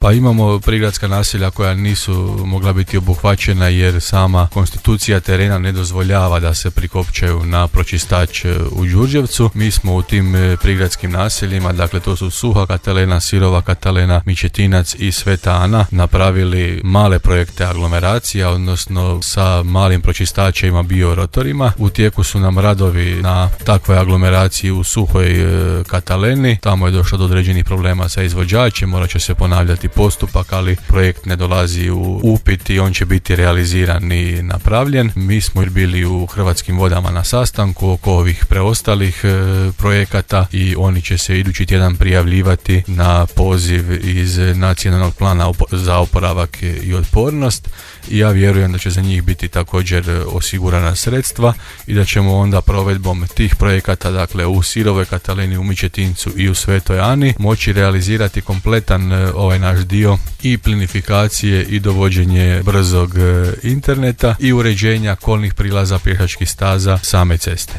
Pa imamo prigradska naselja koja nisu mogla biti obuhvaćena jer sama konstitucija terena ne dozvoljava da se prikopčaju na pročistač u Đurđevcu. Mi smo u tim prigradskim naseljima, dakle to su Suha Katalena, Sirova Katalena, Mičetinac i Sveta Ana, napravili male projekte aglomeracija, odnosno sa malim pročistačima biorotorima. U tijeku su nam radovi na takvoj aglomeraciji u Suhoj Kataleni. Tamo je došlo do određenih problema sa izvođačem, morat će se ponavljati postupak, ali projekt ne dolazi u upit i on će biti realiziran i napravljen. Mi smo bili u Hrvatskim vodama na sastanku oko ovih preostalih projekata i oni će se idući tjedan prijavljivati na poziv iz Nacionalnog plana za oporavak i otpornost i ja vjerujem da će za njih biti također osigurana sredstva i da ćemo onda provedbom tih projekata, dakle u Sirovoj Kataleni, u Mičetincu i u Svetoj Ani, moći realizirati kompletan ovaj naš dio i plinifikacije i dovođenje brzog interneta i uređenja kolnih prilaza, pješačkih staza, same ceste.